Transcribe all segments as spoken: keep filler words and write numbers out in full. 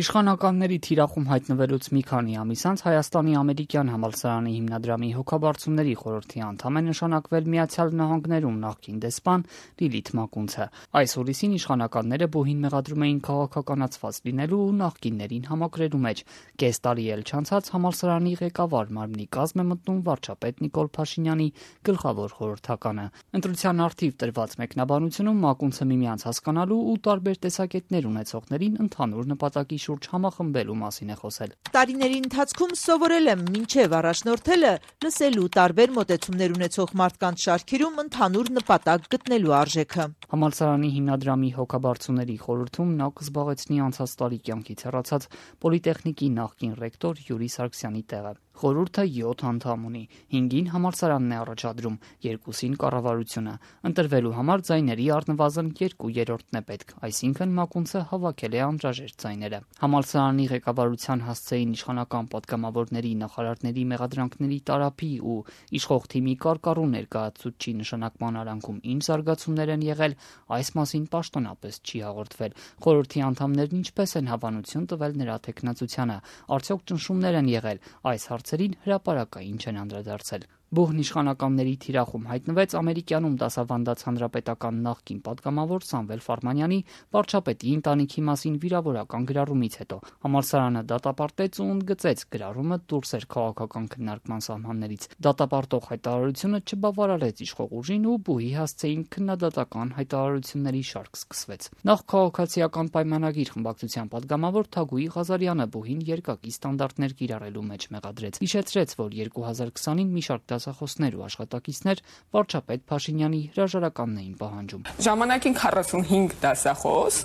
Իշխանականների թիրախում հայտնվելուց մի քանի ամիս անց Հայաստանի ամերիկյան համալսարանի հիմնադրամի հոգաբարձուների խորհրդի անդամ է նշանակվել Միացյալ Նահանգներում նախկին դեսպան Լիլիթ Մակունցը։ Այս հուլիսին իշխանականները բուհին մեղադրում էին քաղաքականացված լինելու ու նախկիններին համակրելու մեջ։ Կես տարի էլ չանցած համալսարանի ղեկավար մարմնի կազմ է մտնում վարչապետ Նիկոլ Փաշինյանի գլխավոր խորհրդականը։ Ընտրության առթիվ տրված մեկնաբանությունում Մակունցը միմյանց հասկանալու ու տարբեր տեսակետներ ունեցողներին ընդհանուր նպատակի շուրջ համախմբելու մասին է խոսել։ Տարիների ընթացքում սովորել եմ մինչև առաջնորդելը լսելու տարբեր մոտեցումներ ունեցող մարդկանց շարքերում ընդհանուր նպատակ գտնելու արժեքը։ Համալսարանի հիմնադրամի հոգաբարձուների խորհրդում նա կզբաղեցնի անցած տարի կյանքից հեռացած Պոլիտեխնիկի նախկին ռեկտոր Յուրի Սարգսյանի տեղը։ Խորհուրդը յոթ անդամ ունի, հինգին համալսարանն է առաջադրում, երկուսին կառավարությունը։ Ընտրվելու համար ձայների առնվազն երկու երրորդն է պետք, այսինքն Մակունցը հավաքել է անհրաժեշտ ձայները։ Համալսարանի ղեկավարության հասցեին իշխանական պատգամավորների, նախարարների մեղադրանքների տարափի ու իշխող թիմի կարկառու ներկայացուցչի նշանակման արանքում ինչ զարգացումներ են եղել, այս մասին պաշտոնապես չի հաղորդվել։ Խորհրդի անդամներն ինչպես են հավանություն տվել նրա թեկնածությանը, արդյոք ճնշումներ են եղել, այս հարցերին հրապարակային չեն անդրադարձել։ Բուհն իշխանականների թիրախում հայտնվեց ամերիկյանում դասավանդած հանրապետական նախկին պատգամավոր Սամվել Ֆարմանյանի վարչապետի ընտանիքի մասին վիրավորական գրառումից հետո։ Համալսարանը դատապարտեց ու ընդգծեց գրառումը դուրս էր քաղաքական քննարկման սահմաններից։ Դատապարտող հայտարարությունը չբավարարեց իշխող ուժին ու բուհի հասցեին քննադատական հայտարարությունների շարք սկսվեց։ Նախ քաղաքացիական պայմանագիր խմբակցության պատգամավոր Թագուհի Ղազարյանը բուհին երկակի ստանդարտներ կիրառելու մեջ մեղադրեց։ Հիշեցրեց, որ երկու հազար քսանին մի շարք դասախոսներ ու աշխատակիցներ վարչապետ Փաշինյանի հրաժարականն էին պահանջում։ Ժամանակին քառասունհինգ դասախոս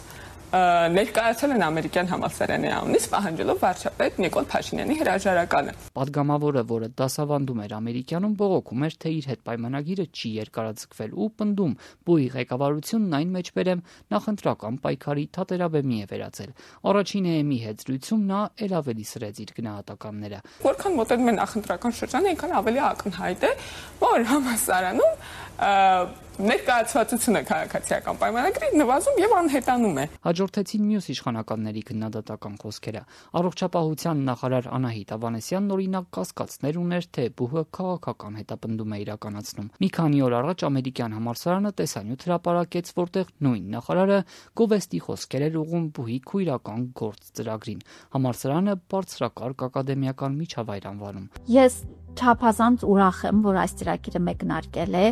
ներկայացել են ամերիկյան համալսարանի անունից պահանջելով վարչապետ Նիկոլ Փաշինյանի հրաժարականը։ Պատգամավորը, որը դասավանդում էր ամերիկյանում, բողոքում էր, թե իր հետ պայմանագիրը չի երկարաձգվել ու պնդում բուհի ղեկավարությունն այն մեջբերեմ նախընտրական պայքարի թատերաբեմի է վերածել։ Առաջին էեմի հետ զրույցում նա ել ավելի սրեց իր գնահատականները։ Որքան մոտենում են նախընտրական շրջանը, այնքան ավելի ակնհայտ է, որ համալսարանում ներկայացվածությունը քաղաքացիական պայմանագրի նվազում եւ անհետանում է։ Հաջորդեցին մյուս իշխանականների քննադատական խոսքերը։ Առողջապահության նախարար Անահիտ Ավանեսյանն օրինակ կասկածներ ուներ, թե բուհը քաղաքական հետապնդում է իրականացնում։ Մի քանի օր առաջ ամերիկյան համալսարանը տեսանյութ հրապարակեց, որտեղ նույն նախարարը գովեստի խոսքեր էր ուղղում բուհի քույրական գործ ծրագրին։ Համալսարանը բարձրակարգ ակադեմիական միջավայր անվանում։ Ես չափազանց ուրախ եմ, որ այս ծրագիրը մեկնարկել է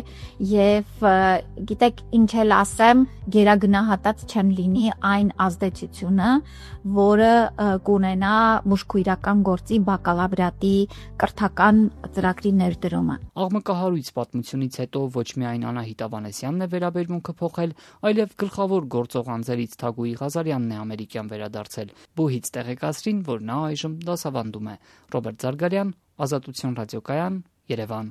եւ գիտեք ինչ էլ ասեմ, գերագնահատած չեմ լինի այն ազդեցությունը, որը կունենա մուժքույրական գործի բակալավրիատի կրթական ծրագրի ներդրումը։ Աղմկահարույց պատմությունից հետո ոչ միայն Անահիտ Ավանեսյանն է վերաբերմունքը փոխել, այլև գլխավոր գործող անձերից Թագուհի Ղազարյանն է ամերիկյան վերադարձել։ Բուհից տեղեկացրին, որ նա այժմ դասավանդում է։ Ռոբերտ Զարգարյան, Ազատություն ռադիոկայան, Երևան։